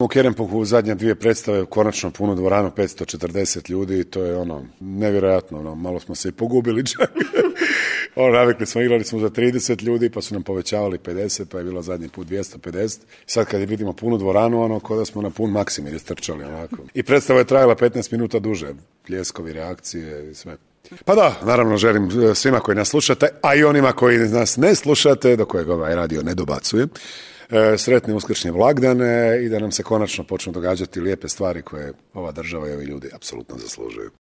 U Kerempuhu zadnje 2 predstave, konačno punu dvoranu, 540 ljudi, to je nevjerojatno, malo smo se i pogubili čak. Navikli smo, igrali smo za 30 ljudi, pa su nam povećavali 50, pa je bilo zadnji put 250. Sad kad je vidimo punu dvoranu, ko da smo na pun Maksimir istrčali, onako. I predstava je trajala 15 minuta duže, pljeskovi, reakcije i sve. Pa da, naravno želim svima koji nas slušate, a i onima koji nas ne slušate, do kojeg ovaj radio ne dobacuje, sretne uskršnje blagdane i da nam se konačno počnu događati lijepe stvari koje ova država i ovi ljudi apsolutno zaslužuju.